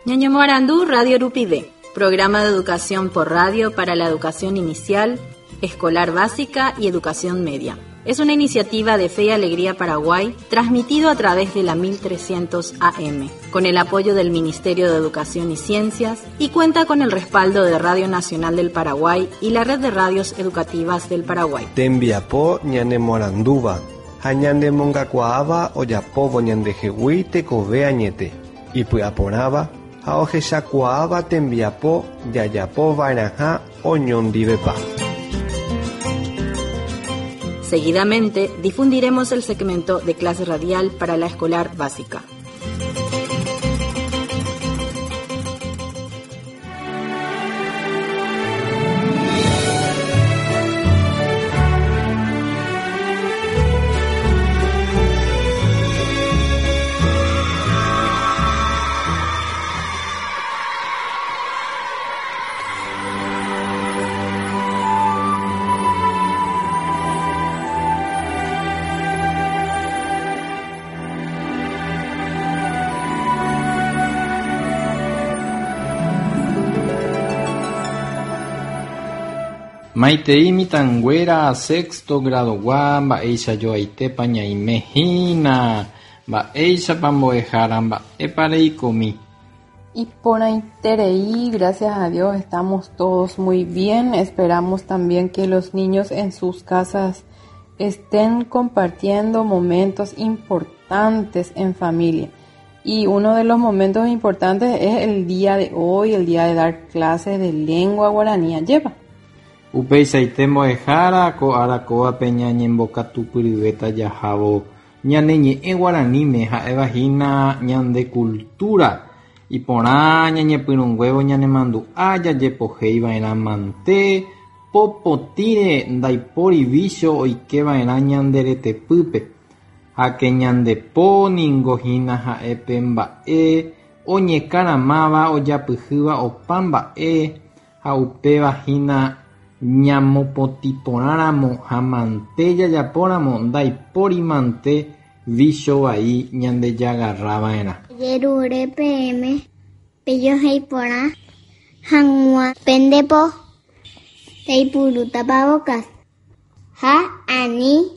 Ñañomoarandu Radio Rupive, programa de educación por radio para la educación inicial, escolar básica y educación media. Es una iniciativa de Fe y Alegría Paraguay, transmitido a través de la 1300 AM, con el apoyo del Ministerio de Educación y Ciencias y cuenta con el respaldo de Radio Nacional del Paraguay y la Red de Radios Educativas del Paraguay. Tembiapo ñanemoarandúva ha ñanemongakuaáva ojapóvo ñandehegui tekove añete, ipy'aporãva ha ohechakuaáva tembiapo jajapova'erãha oñondivepa. Seguidamente difundiremos el segmento de clase radial para la escolar básica. Maitei mitãnguéra sexto grado-gua mba'eichajoaitépa ñaime hína, mba'éichapa mbo'ehára mba'épa reikomi. Iporãiterei, gracias a Dios estamos todos muy bien. Esperamos también que los niños en sus casas estén compartiendo momentos importantes en familia. Y uno de los momentos importantes es el día de hoy, el día de dar clases de lengua guaraní. Lleva. Upeichaite mbo'ehára ko ára kóvape ñañembokatupyryvéta jahávo ñane ñe'ẽ guaraníme ha'éva hína ñande cultura. Iporã ñañepyrũnguévo ñanemandu'a jajepohéiva'erã mante, po potĩre ndaipóri vícho oikeva'erã ñande retepýpe. Háke ñande po ningo hína ha'e pe mba'e oñekaramáva ojapyhýva opa mba'e ha upéva hína ñamopotĩporãramo ha mante jajapóramo ndaipóri mante vícho vai ñandejagarrava'erã. Ajerure peẽme pejohéi porã hag̃ua pende po, peipuru tapabocas ha ani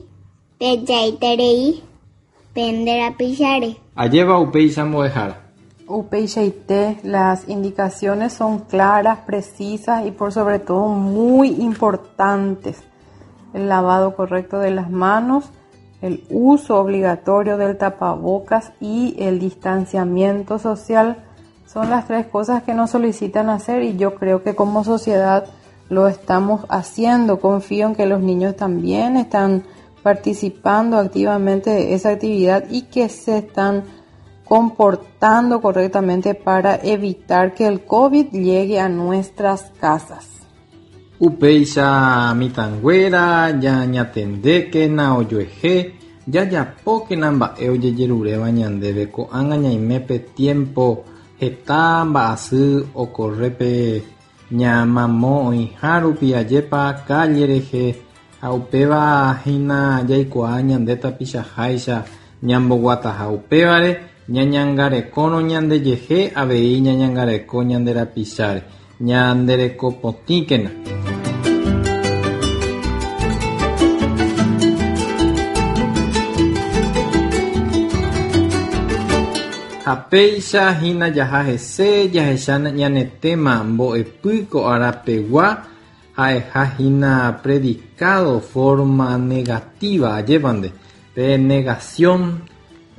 pejaiterei pende rapicháre. Ajépa upéicha mbo'ehára. Upeichaite, las indicaciones son claras, precisas y por sobre todo muy importantes. El lavado correcto de las manos, el uso obligatorio del tapabocas y el distanciamiento social son las tres cosas que nos solicitan hacer y yo creo que como sociedad lo estamos haciendo. Confío en que los niños también están participando activamente de esa actividad y que se están comportando correctamente para evitar que el COVID llegue a nuestras casas. Upéicha mitãnguéra ñañatendékena ojuehe, jajapókena mba'e ojejeruréva ñandéve ko'ág̃a ñaime pe tiempo heta mba'asy okorre pe ñamamo oĩha rupi ajépa calle rehe ha upéva hína jaikuaa ñande tapichaháicha ñamboguataha upévare ñañangarekórõ ñandejehe avei ñañangareko ñande rapicháre ñanderekopotĩkena. Ha péicha hína jaha hese jahecha ñane téma mbo'epy ko arapegua ha'eha hína predicado forma negativa ajépante pe negación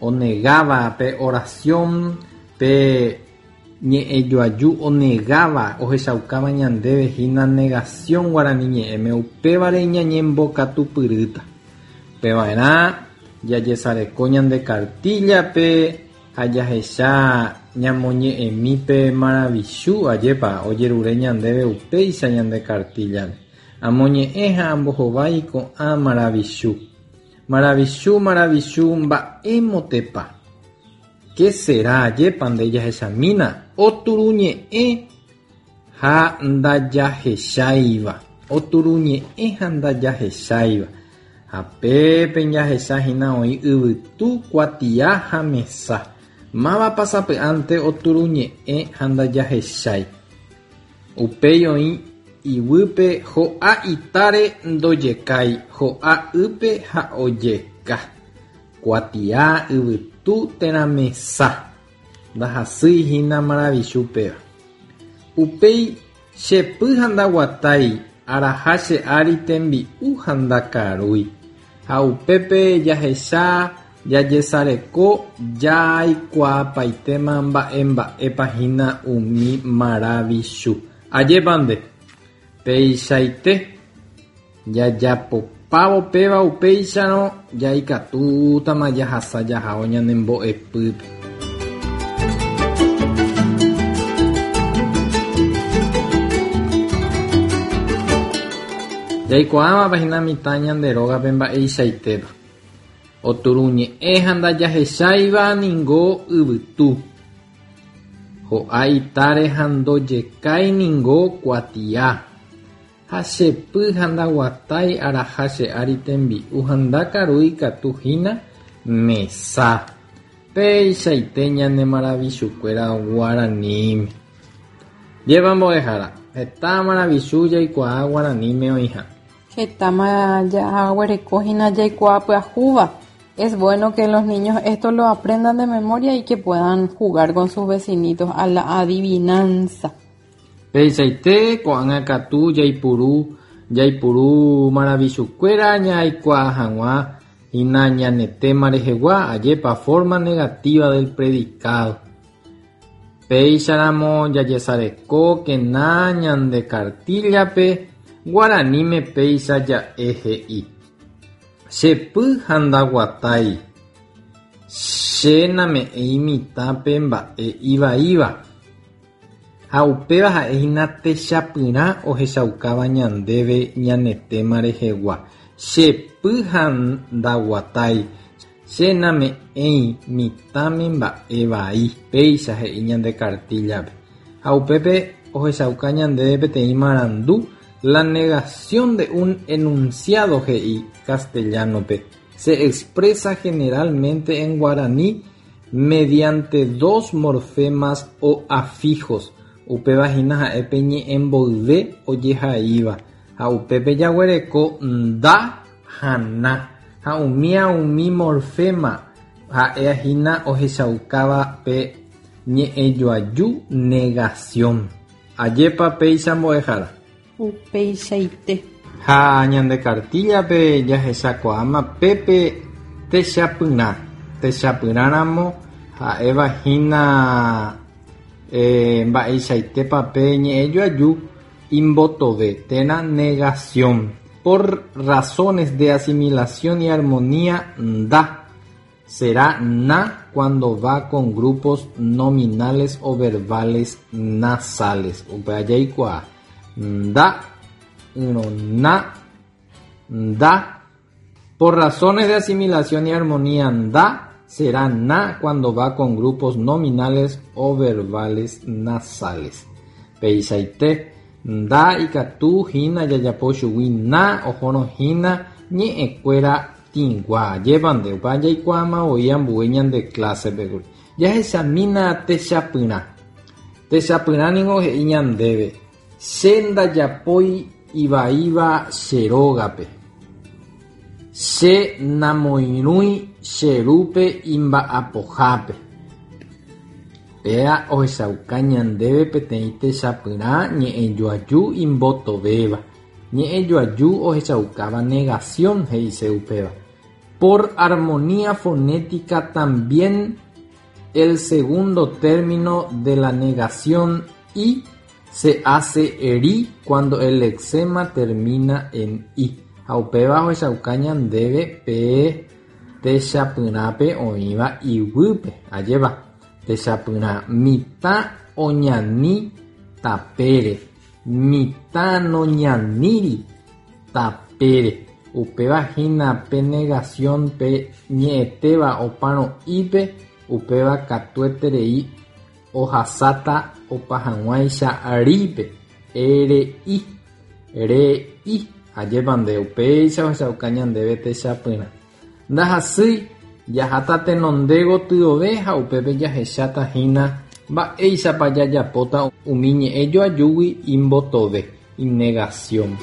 onegáva pe oración pe ñe'ẽjoaju onegáva ohechaukáva ñandéve hína negación guarani ñe'ẽme upévare ñañembokatupyrýta. Upeva'erã jajesareko ñande cartilla-pe ha jahecha ñamoñe'ẽmi pe maravichu ajépa ojerure ñandéve upéicha ñande cartilla-pe. Amoñe'ẽ ha ambohovái ko'ã maravichu. Maravichu, maravichu, mba'émotepa. Qué será ajépa nde jahechamína oturuñe'ẽ ha ndajahecháiva. Oturuñe'ẽ ha ndajahecháiva. Ha pépe jahechahína oĩ yvytu kuatia ha mesa. Mávapa sapy'ánte oturuñe'ẽ ha ndajahechái. Upéi oĩ iguýpe ho'a itáre ndojekái, ho'a ýpe ha ojeka. Kuatia, yvytu térã mesa. Ndahasýi hína maravichu péva. Upéi che py ha ndaguatái, araha che ári tembi'u ha ndakarúi. Ha upépe jahecha jajesareko jaikuaapaitéma mba'emba'épa hína umi maravichu. Ajépa nde. Peichaite jajapopávo péva upéicharõ jaikatútama jahasa jahávo ñane mbo'epýpe. Jaikuaávapa hína mitã ñande rógape mba'eichaitépa. Oturuñe'ẽ ha ndajahecháiva ningo yvytu. Ho'a itáre ha ndojekái ningo kuatia. Ha che py ha ndaguatái araha che ári tembi'u ha ndakarúi katu hína mesa. Peichaite ñane maravichukuéra guaraníme. Jépa mbo'ehára, heta maravichu jaikuaa guaraníme oĩha. Hetáma jaguereko hína jaikuaa pyahúva. Es bueno que los niños esto lo aprendan de memoria y que puedan jugar con sus vecinitos a la adivinanza. Peichaite ko'ág̃a katu jaipuru jaipuru maravichukuéra ñaikuaa hag̃ua hína ñane tema rehegua, ajépa forma negativa del predicado. Péicharamo jajesarekókena ñande kartíllape guaraníme péicha ja'e he'i. Che py ha ndaguatái. Che name'ẽi mitãpe mba'e ivaíva. Ha upéva ha'e hína techapyrã ohechaukáva ñandéve ñane tema rehegua. Che py ha ndaguatái. Che name'ẽi mitãme mba'e vai. Péicha he'i ñande kartíllape. Ha upépe ohechauka ñandéve peteĩ marandu la negación de un enunciado he'i castellano-pe. Se expresa generalmente en guaraní mediante dos morfemas o afijos. Upéva hína ha'e pe ñe'ẽmboyve ojehaíva. Ha upépe jaguereko nda ha na. Ha umía umi morfema ha'e hína ohechaukáva pe ñe'ẽjoaju negación. Ajépa péicha mbo'ehára. Upeichaite. Ha ñande kartíllape jahechakuaáma pépe techapyrã. Techapyrãramo ha'éva hína mba'eichaitépa pe ñe'ẽjoaju imbotove térã negación. Por razones de asimilación y armonía nda. Será na cuando va con grupos nominales o verbales nasales. Upéva jaikuaa. Nda, ỹrõ na, nda. Por razones de asimilación y armonía nda será na cuando va con grupos nominales o verbales nasales. Peichaite nda ikatu hína jajapo chugui na ohórõ hína ñe'ẽkuéra tĩgua. Ajépa nde upéva jaikuaáma voi ambue ñande clásepe kuri. Jahechamína techapyrã. Techapyrã ningo he'i ñandéve. Che ndajapói ivaíva che rógape. Che namoirũi che rúpe imba'apohápe. Péa ohechauka ñandéve peteĩ techapyrã ñe'ẽjoaju imbotovéva. Ñe'ẽjoaju ohechaukáva negación he'ise upéva. Por armonía fonética también el segundo término de la negación y se hace ri cuando el lexema termina en i. Ha upéva ohechauka ñandéve pe techapyrãpe oĩva iguýpe. Ajépa techapyrã mitã oñani tapére. Mitã noñaníri tapére. Upéva hína pe negación pe ñe'ẽtéva opárõ i-pe upéva katueterei ohasáta opa hag̃uáicha rípe. R-I. Re-i. Ajépa nde upéicha ohechauka ñandéve techapyrã. Ndahasýi. Jaháta tenonde gotyove ha upépe jahecháta hína mba'éichapa jajapóta umi ñe'ẽ joajúgui imbotove, inegación.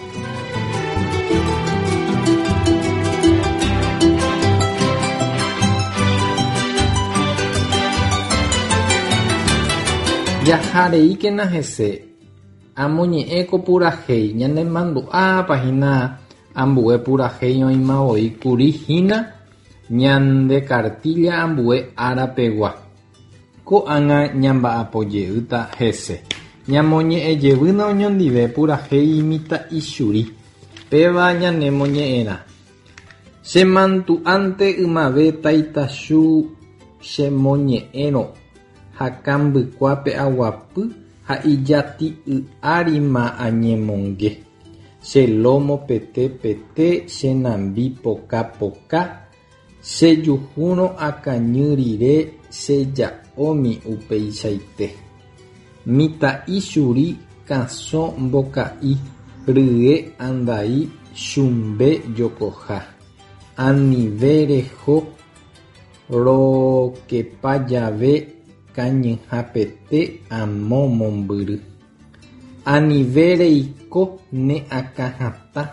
Jahareíkena hese, amoñe'ẽ ko purahéi ñanemandu'ápa hína ambue purahéi oĩma voi kuri hína ñande cartilla ambue ára pegua. Ko'ág̃a ñamba'apojeýta hese. Ñamoñe'ẽjevýna oñondive purahéi mitã'ichuri. Péva ñanemoñe'ẽrã. Chemandu'ánte ymave taitachu chemoñe'ẽrõ ha kambykuápe aguapy ha ijati'y árima añemonge. Che lómo pete pete, che nambi poka poka, chejuhúrõ akañy rire cheja'ómi upeichaite. Mitã'i churi kasõ mboka'i rye andai chumbe jokoha. Anive reho rokepa jave kañyhapete amo mombyry. Anive reiko ne akãhatã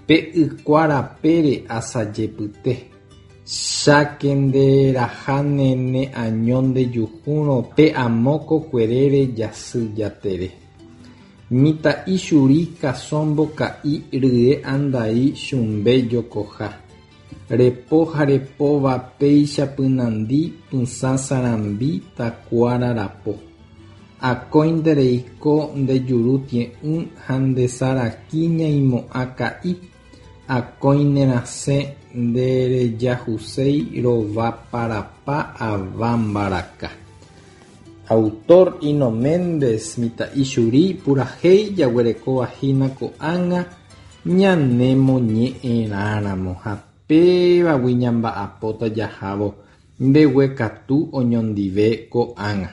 pe ykua rapére asajepyte. Cháke nderaháne ne año ndejuhúrõ pe amo kokuerére jasy jatere. Mitã'i churi kasõ mboka'i rye andai chumbe jokoha. Repo ha repóva péicha pynandi pysã sarambi takuára rapo. Akóinte reiko nde juru tie'ỹ ha nde saraki ñaimo'ã ka'i. Akói nerasẽ nderejahuséi rovaparapa ava mbaraka. Autor Ino Méndez mitã'i churi purahéi jaguerekóva hína ko'ág̃a ñanemoñe'ẽrãramo ha pévagui ñamba'apóta jahávo mbeguekatu oñondive ko'ág̃a.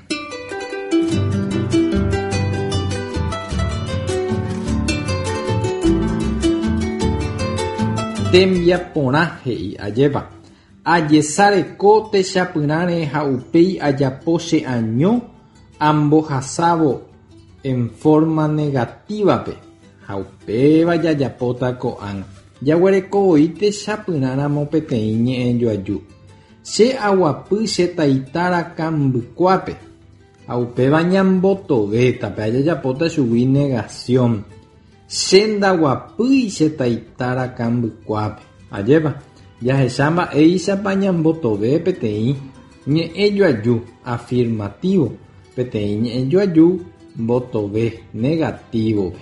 Tembiaporã he'i ajépa. Ajesareko techapyrãre ha upéi ajapo che año ambohasávo en forma negativa-pe ha upéva jajapóta ko'ág̃a. Jaguereko voi techapyrãramo peteĩ ñe'ẽjoaju. Che aguapy che taita rakambykuápe ha upéva ñambotovéta pe jajapóta chugui negación. Che ndaguapýi che taita rakambykuápe. Ajépa, jahecha mba'éichapa ñambotove peteĩ ñe'ẽjoaju afirmativo, peteĩ ñe'ẽjoaju mbotove negativo-pe.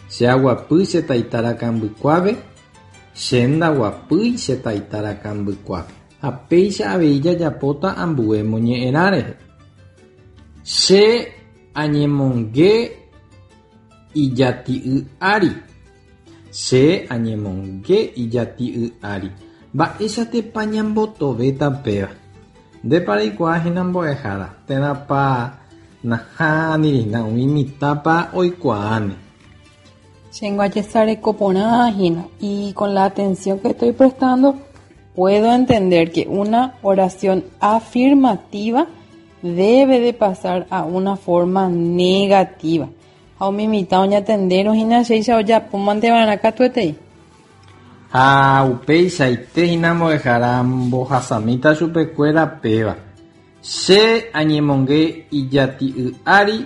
Che aguapy che taita rakambykuápe, che ndaguapýi che taita rakambykuápe. Ha péicha avei jajapóta ambue moñe'ẽrã rehe. Che añemonge ijati'y ári. Che añemonge ijati'y ári. Mba'éichatepa ñambotovéta péva. Ndépa reikuaa hína mbo'ehára térãpa nahánirihína umi mitãpa oikuaáne. Chéngo ajesareko porã hína y con la atención que estoy prestando puedo entender que una oración afirmativa debe de pasar a una forma negativa. Ha umi mitã oñatendérõ hína chéicha ojapómante va'erã katuetei. Ha upeichaite hína mbo'ehára mbohasamíta chupekuéra péva. Che añemonge ijati'y ári,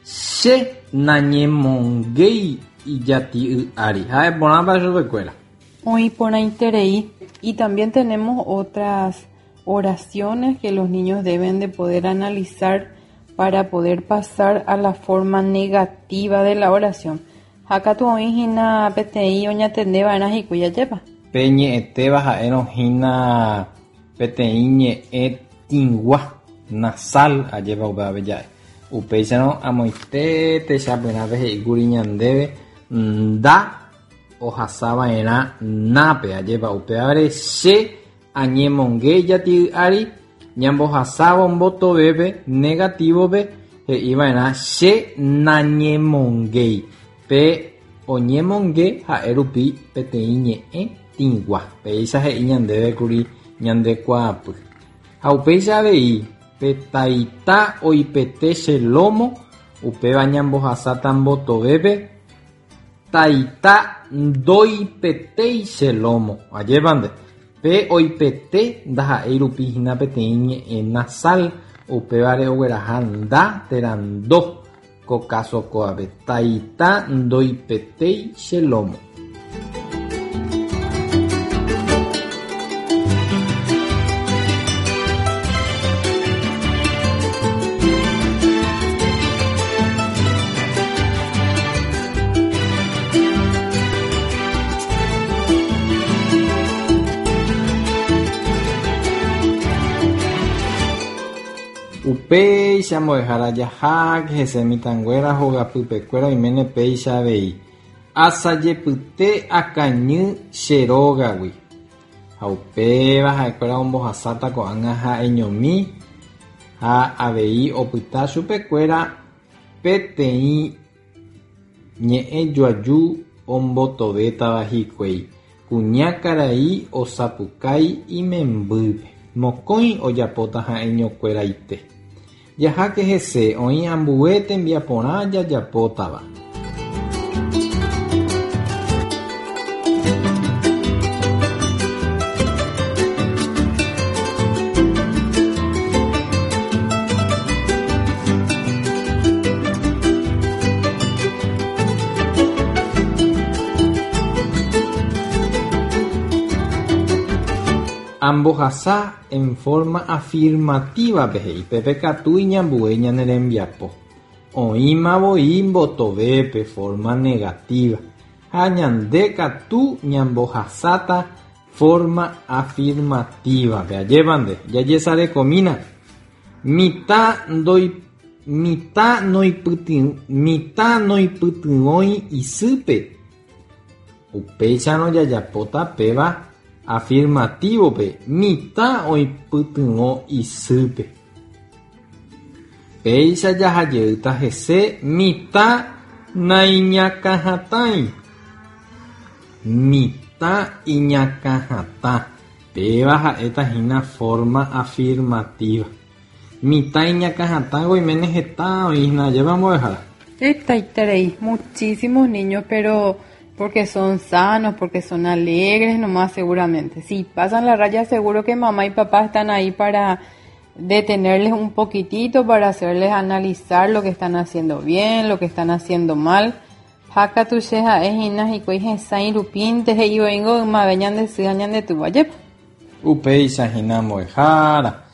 che nañemongéi ijati'y ári. Ha'eporãpa chupekuéra. Oĩ porãiterei. Y también tenemos otras oraciones que los niños deben de poder analizar para poder pasar a la forma negativa de la oración. Ha katu oĩ hína peteĩ oñatendeva'erã hikuái ajépa. Pe ñe'ẽtéva ha'érõ hína peteĩ ñe'ẽ tĩgua, nasal, ajépa upévape ja'e. Upéicharõ amoite techapyrãpe he'íkuri ñandéve nda ohasava'erã nápe, ajépa upévare che añemonge ijati'y ári ñambohasávo mbotovépe negativo-pe he'iva'erã che nañemongéi. Pe oñemonge ha'e rupi peteĩ ñe'ẽ tĩgua. Péicha he'i ñandéve kuri Ñande kuaapy. Ha upéicha avei, pe taita oipete che lómo, upéva ñambohasáta mbotovépe, taita ndoipetéi che lómo. Ajépa nde. Pe oipete ndaha'éi rupi hína peteĩ ñe'ẽ nasal, upévare ogueraha nda térã ndo. Ko káso kóvape, taita ndoipetéi che lómo. Upéicha mbo'ehára jaháke hese mitãnguéra hogapypekuéra oiméne péicha avei. Asajepyte akañy che rógagui. Ha upéva ha'ekuéra ombohasáta ko'ág̃a ha'eñomi ha avei opyta chupekuéra peteĩ ñe'ẽ joaju ombotovétava hikuái. Kuña karai osapukái imembýpe. Mokõi ojapóta ha'eñokueraite. Jaháke hese oĩ ambue tembiaporã jajapótava. Ambohasa en forma afirmativa-pe he'i pépe katu iñambue ñane rembiapo. Oĩma voi mbotovépe forma negativa ha ñande katu ñambohasáta forma afirmativa-pe. Ajépa nde, jajesarekomína. Mitã ndoi mitã noipytyvõ mitã noipytyvõi isýpe. Upéicharõ jajapóta péva afirmativo-pe, mitã oipytyvõ isýpe. Péicha jahajeýta hese mitã naiñakãhatãi. Mitã iñakãhatã, péva ha'éta hína forma afirmativa. Mitã iñakãhatãngo oiméne heta oĩ hína, ajépa mbo'ehára? Hetaiterei, muchísimos niños, pero porque son sanos, porque son alegres nomás seguramente. Si pasan la raya seguro que mamá y papá están ahí para detenerles un poquitito, para hacerles analizar lo que están haciendo bien, lo que están haciendo mal. Ha katu che ha'e hína hikuái hesãi rupínte he'i voíngo ymave ñande sy ha ñande túva jepe. Upéicha hína mbo'ehára,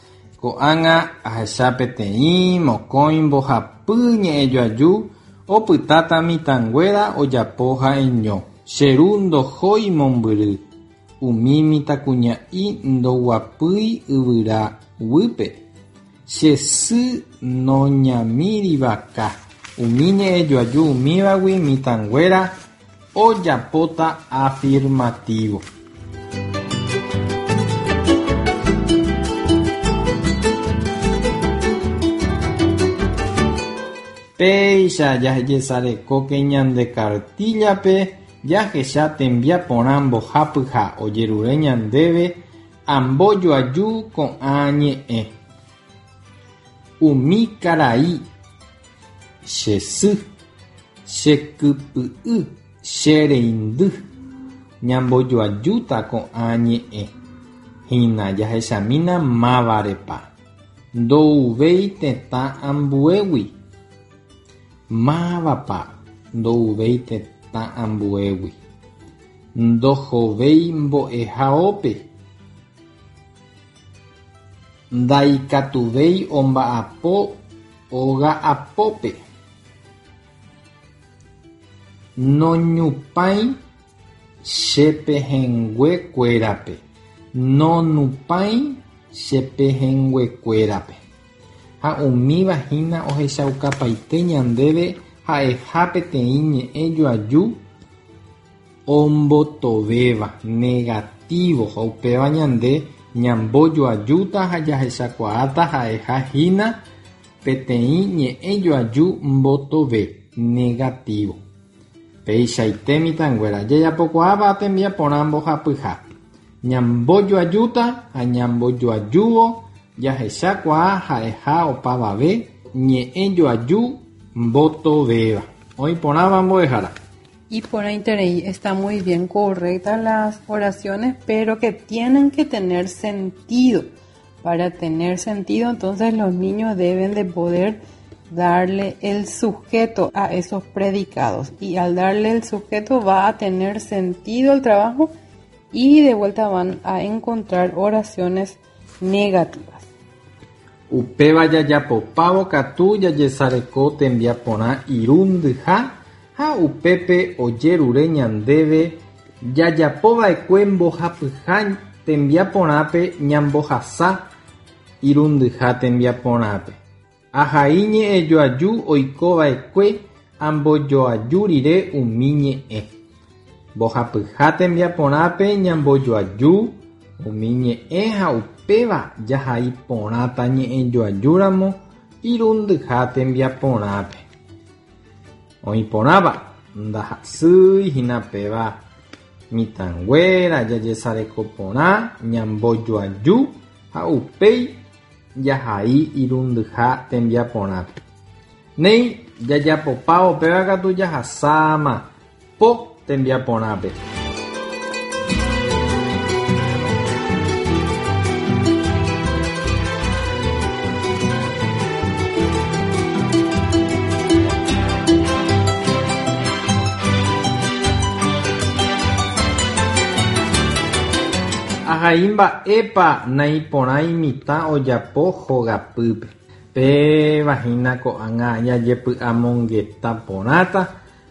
ko'ág̃a ahecha peteĩ, mokõi, mbohapy ñe'ẽjoaju opytáta mitãnguéra ojapo ha'eño. Che ru ndohói mombyry, umi mitãkuña'i ndoguapýi yvyra guýpe. Che sy noñamíri vaka. Umi ñe'ẽjoaju umívagui mitãnguéra ojapóta afirmativo. Péicha jajesarekóke ñande kartíllape jahecha tembiaporã mbohapyha ojerure ñandéve Ambojoaju ko'ã ñe'ẽ. Umi karai, che sy, che kypy'y, che reindy. Ñambojoajúta ko'ã ñe'ẽ. Hína jahechamína mávarepa. Ndouvéi tetã ambuégui. Mávapa ndouvéi tetã ambuégui. Ndohovéi mbo'ehaópe. Ndaikatuvéi omba'apo óga apópe. Noñupãi che pehẽnguekuérape. Nonupãi che pehẽnguekuérape. Ha umíva hína ohechaukapaite ñandéve ha'eha peteĩ ñe'ẽ joaju ombotovéva, negativo, ha upéva ñande ñambojoajúta ha jahechakuaáta ha'eha hína peteĩ ñe'ẽ joaju mbotove, negativo. Peichaite mitãnguéra, jajapokuaáva tembiaporã mbohapyha. Ñambojoajúta ha ñambojoajúvo jahechakuaa ha'eha opavave ñe'ẽjoaju mbotovéva. Oĩ porãva mbo'ehára. Iporãiterei, está muy bien correctas las oraciones, pero que tienen que tener sentido. Para tener sentido, entonces los niños deben de poder darle el sujeto a esos predicados. Y al darle el sujeto va a tener sentido el trabajo y de vuelta van a encontrar oraciones negativas. Upéva jajapopávo katu jajesareko tembiaporã irundyha ha upépe ojerure ñandéve jajapova'ekue mbohapyha tembiaporãpe ñambohasa irundyha tembiaporãpe. Ahai ñe'ẽjoaju oikova'ekue ambojoaju rire umi ñe'ẽ. Mbohapyha tembiaporãpe ñambojoaju umi ñe'ẽ ha upéva jahai porãta ñe'ẽjoajúramo irundyha tembiaporãpe. Oĩ porãva, ndahasýi hína péva mitãnguéra jajesareko porã ñambojoaju ha upéi jahai irundyha tembiaporãpe. Néi, jajapopávo péva katu jahasáma po tembiaporãpe. Ahai mba'épa naiporãi mitã ojapo hogapýpe. Péva hína ko'ág̃a jajepy'amongeta porãta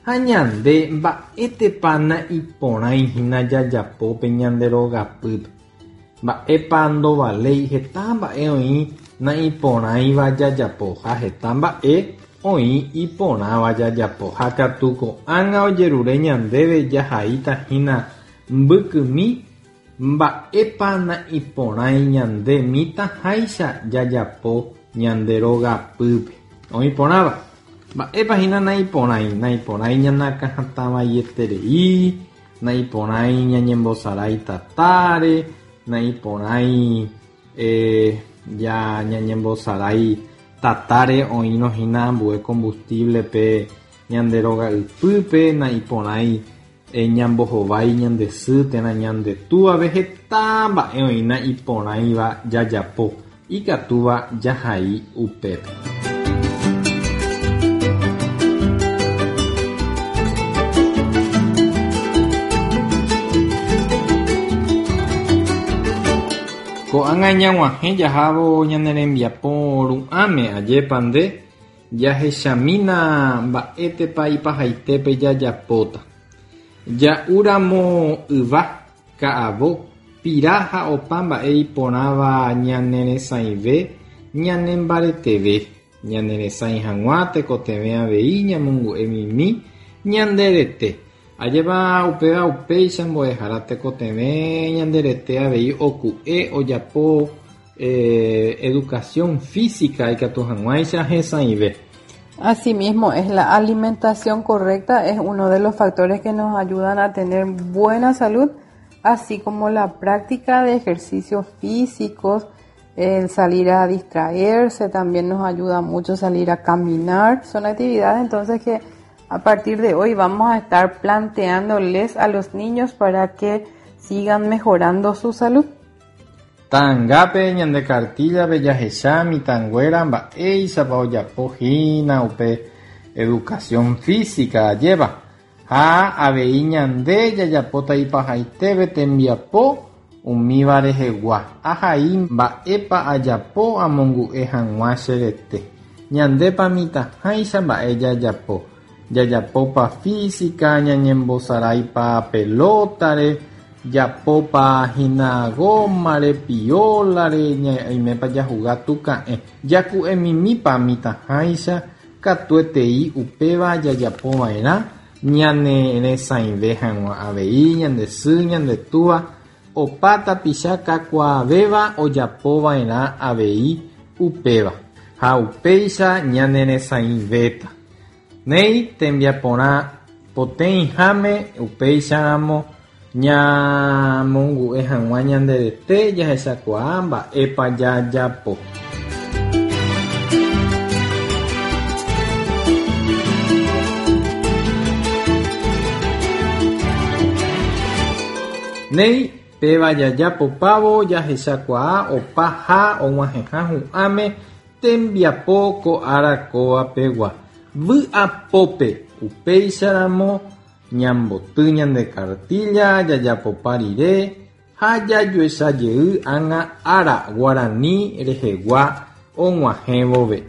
ha ñande mba'étepa naiporãi hína jajapo pe ñande rogapýpe. Mba'épa ndovaléi heta mba'e oĩ naiporãiva jajapo ha heta mba'e oĩ iporãva jajapo. Ha katu ko'ág̃a ojerure ñandéve jahaíta hína mbykymi mba'épa naiporãi ñande mitãháicha jajapo ñande rogapýpe. Oĩ porãva. Mba'épa hína naiporãi? Naiporãi ñanakãhatãvaieterei, naiporãi ñañembosarái tatáre, naiporãi ñañembosarái tatáre oĩrõ hína ambue combustible-pe ñande roga'ypýpe, naiporãi ñambohovái ñande sy térã ñande túvape heta mba'e oĩ naiporãiva jajapo ikatúva jahai upépe. Ko'ág̃a ñag̃uahẽ jahávo ñane rembiapo ru'ãme ajépa nde jahechamína mba'étepa ipahaitépe jajapóta. Ja'úramo yva, ka'avo, pira ha opa mba'e iporãva ñaneresãive ñanembareteve. Ñaneresãi hag̃ua tekotevẽ avei ñamongu'emimi ñande rete. Ajépa upéva upéicha mbo'ehára tekotevẽ ñande rete avei oku'e ojapo educación física ikatu hag̃uáicha hesãive. Asimismo, es la alimentación correcta es uno de los factores que nos ayudan a tener buena salud, así como la práctica de ejercicios físicos, el salir a distraerse también nos ayuda mucho salir a caminar. Son actividades entonces que a partir de hoy vamos a estar planteándoles a los niños para que sigan mejorando su salud. Ta'angápe ñande kartíllape jahecha mitãnguéra mba'éichapa ojapo hína upe educación física ajépa ha avei ñande jajapóta ipahaitépe tembiapo umíva rehegua. Ahai mba'épa ajapo amongu'e hag̃ua che rete. Ñandépa mitãháicha mba'e jajapo. Jajapópa física, ñañembosaráipa pelótare, japópa hína gómare, piólare, ñaimépa jahuga tuka'ẽ. Jaku'emimípa mitãháicha katuetei upéva jajapova'erã ñaneresãive hag̃ua avei ñande sy, ñande túva, opa tapicha kakuaavéva ojapova'erã avei upéva. Ha upéicha ñaneresãivéta. Néi tembiaporã poteĩháme upéicharamo Ñamongu'e hag̃ua ñande rete jahechakuaa mba'épa jajapo. Néi, péva jajapopávo jahechakuaa opa ha og̃uahẽha hu'ãme tembiapo ko ára kóva pegua. Vy'apópe, upéicharamo ñamboty ñande kartílla jajapopa rire ha jajuecha jey ág̃a ára guarani rehegua og̃uahẽ vove.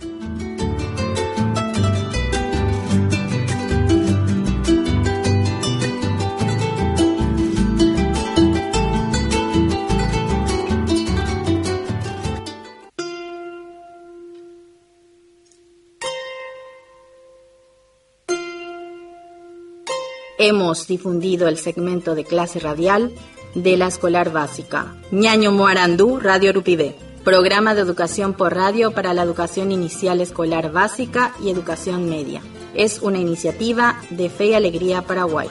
Hemos difundido el segmento de clase radial de la escolar básica. Ñaño Moarandú, Radio Rupivé. Programa de educación por radio para la educación inicial escolar básica y educación media. Es una iniciativa de Fe y Alegría Paraguay.